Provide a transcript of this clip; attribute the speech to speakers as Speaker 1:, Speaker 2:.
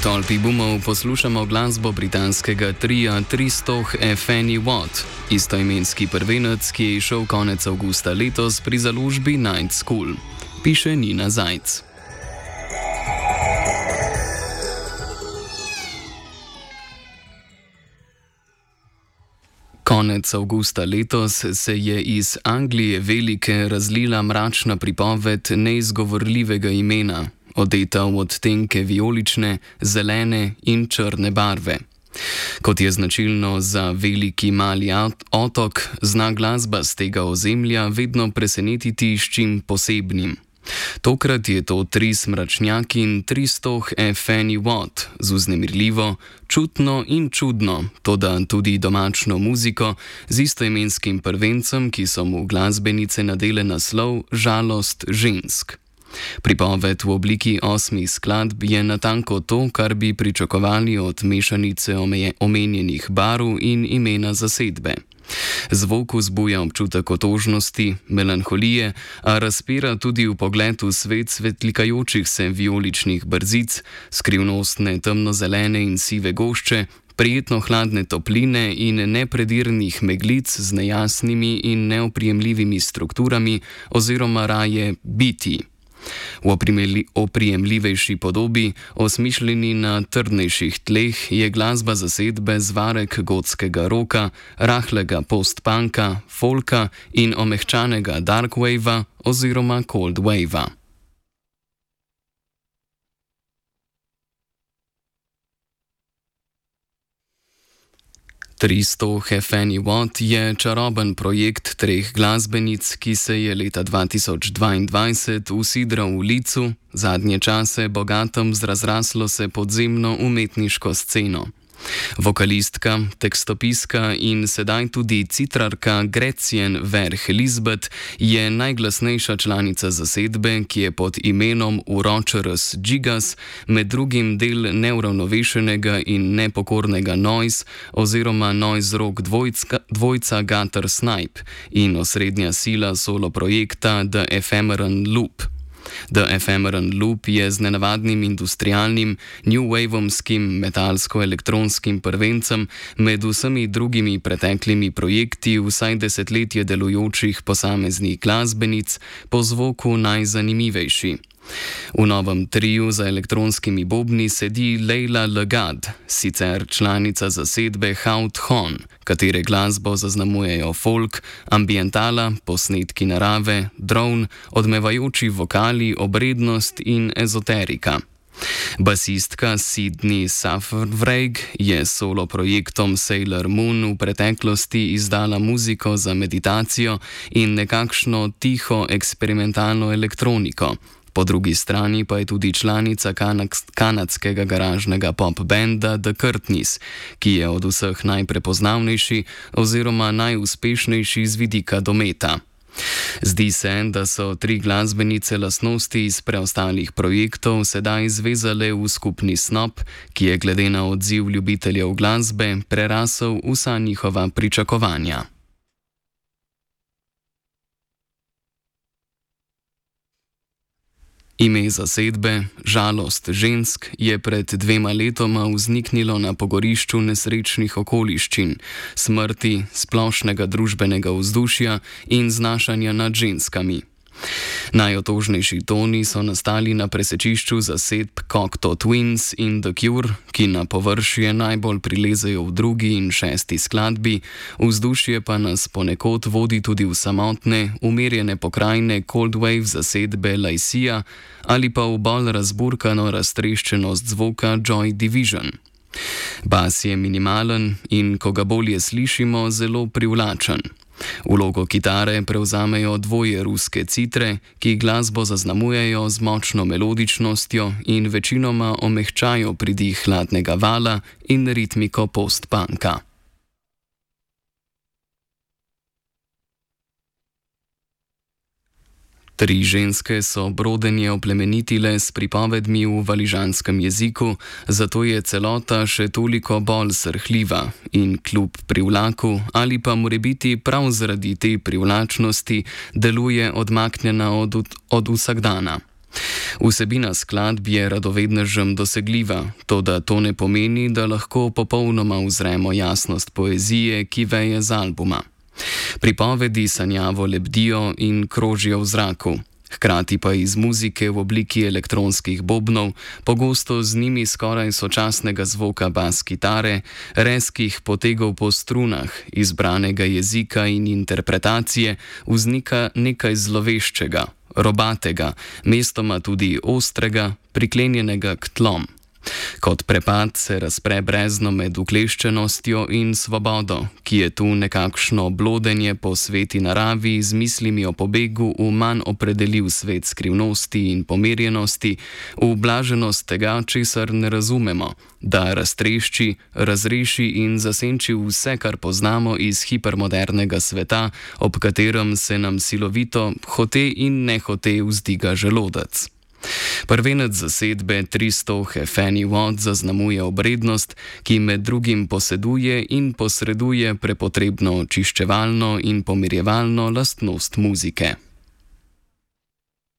Speaker 1: tolpi boomov poslušamo glasbo britanskega tria 300 Fanny Watt, istoimenski prvenec, ki je izšel konec avgusta letos pri založbi Night School, piše Nina Zajc. Konec avgusta letos se je iz Anglije velike razlila mračna pripoved neizgovorljivega imena, odeta v odtenke vijolične, zelene in črne barve. Kot je značilno za veliki mali otok, zna glasba z tega ozemlja vedno presenetiti s čim posebnim. Tokrat je to tris mračnjakin 300 Fanny Watt z vznemirljivo, čutno in čudno, toda tudi domačno muziko z istoimenskim prvencem, ki so mu glasbenice nadele naslov Žalost žensk. Pripoved v obliki 8 skladb je natanko to, kar bi pričakovali od mešanice omenjenih barv in imena zasedbe. Zvok vzbuja občutek otožnosti, melanholije, a razpira tudi vpogled v svet svetlikajočih se vijoličnih brzic, skrivnostne temnozelene in sive gošče, prijetno hladne topline in nepredirnih meglic z nejasnimi in neoprijemljivimi strukturami oziroma raje biti. V oprijemljivejši podobi, osmišljeni na trdnejših tleh, je glasba zasedbe zvarek gotskega roka, rahlega post-punka, folka in omehčanega dark wavea oziroma cold wavea. Fanny Watt je čaroben projekt treh glasbenic, ki se je leta 2022 usidral v licu, zadnje čase bogatem z razraslo se podzemno umetniško sceno. Vokalistka, tekstopiska in sedaj tudi citrarka Gretchen Verh Lisbeth je najglasnejša članica zasedbe, ki je pod imenom Uročerus Gigas med drugim del neuravnovešenega in nepokornega noise oziroma noise rock dvojca Gutter Snipe in osrednja sila solo projekta The Ephemeran Loop. The Ephemeran Loop je z nenavadnim industrialnim, new wavomskim metalsko-elektronskim prvencem med vsemi drugimi preteklimi projekti vsaj desetletje delujočih posameznih glasbenic po zvoku najzanimivejši. V novem triu za elektronskimi bobni sedi Leila Legad, sicer članica zasedbe Haut Hon, katere glasbo zaznamujejo folk, ambientala, posnetki narave, drone, odmevajoči vokali, obrednost in ezoterika. Basistka Sydney Safvreg je s solo projektom Sailor Moon v preteklosti izdala muziko za meditacijo in nekakšno tiho eksperimentalno elektroniko. Po drugi strani pa je tudi članica kanadskega garažnega pop benda The Curtnis, ki je od vseh najprepoznavnejši oziroma najuspešnejši z vidika dometa. Zdi se, da so tri glasbenice lastnosti iz preostalih projektov sedaj zvezale v skupni snop, ki je glede na odziv ljubiteljev glasbe prerasel vsa njihova pričakovanja. Ime zasedbe, Žalost žensk, je pred 2 letoma vzniknilo na pogorišču nesrečnih okoliščin, smrti, splošnega družbenega vzdušja in znašanja nad ženskami. Najotožnejši toni so nastali na presečišču zasedb Cocteau Twins in The Cure, ki na površje najbolj prilezejo v 2. in 6. skladbi, vzdušje pa nas ponekod vodi tudi v samotne, umirjene pokrajine Cold Wave zasedbe Lycia ali pa v bolj razburkano raztreščenost zvoka Joy Division. Bas je minimalen in, ko ga bolje slišimo, zelo privlačen. Vlogo kitare prevzamejo dvoje ruske citre, ki glasbo zaznamujejo z močno melodičnostjo in večinoma omehčajo pridih hladnega vala in ritmiko post-punka. Tri ženske so brodenje oplemenitile s pripovedmi v valižanskem jeziku, zato je celota še toliko bolj srhljiva in kljub privlaku ali pa morebiti prav zaradi te privlačnosti deluje odmaknjena od vsakdana. Vsebina skladb je radovednežem dosegljiva, toda to ne pomeni, da lahko popolnoma uzremo jasnost poezije, ki veje z albuma. Pripovedi sanjavo lebdijo in krožijo v zraku. Hkrati pa iz muzike v obliki elektronskih bobnov, pogosto z njimi skoraj sočasnega zvoka bas kitare, rezkih potegov po strunah, izbranega jezika in interpretacije, vznika nekaj zloveščega, robatega, mestoma tudi ostrega, priklenjenega k tlom. Kot prepad se razpre brezno med ukleščenostjo in svobodo, ki je tu nekakšno blodenje po sveti naravi z mislimi o pobegu v manj opredeljiv svet skrivnosti in pomirjenosti, v blaženost tega, česar ne razumemo, da raztrešči, razreši in zasenči vse, kar poznamo iz hipermodernega sveta, ob katerem se nam silovito, hote in nehote vzdiga želodec. Prvenec zasedbe 300 Fanny Watt zaznamuje obrednost, ki med drugim poseduje in posreduje prepotrebno očiščevalno in pomirjevalno lastnost muzike.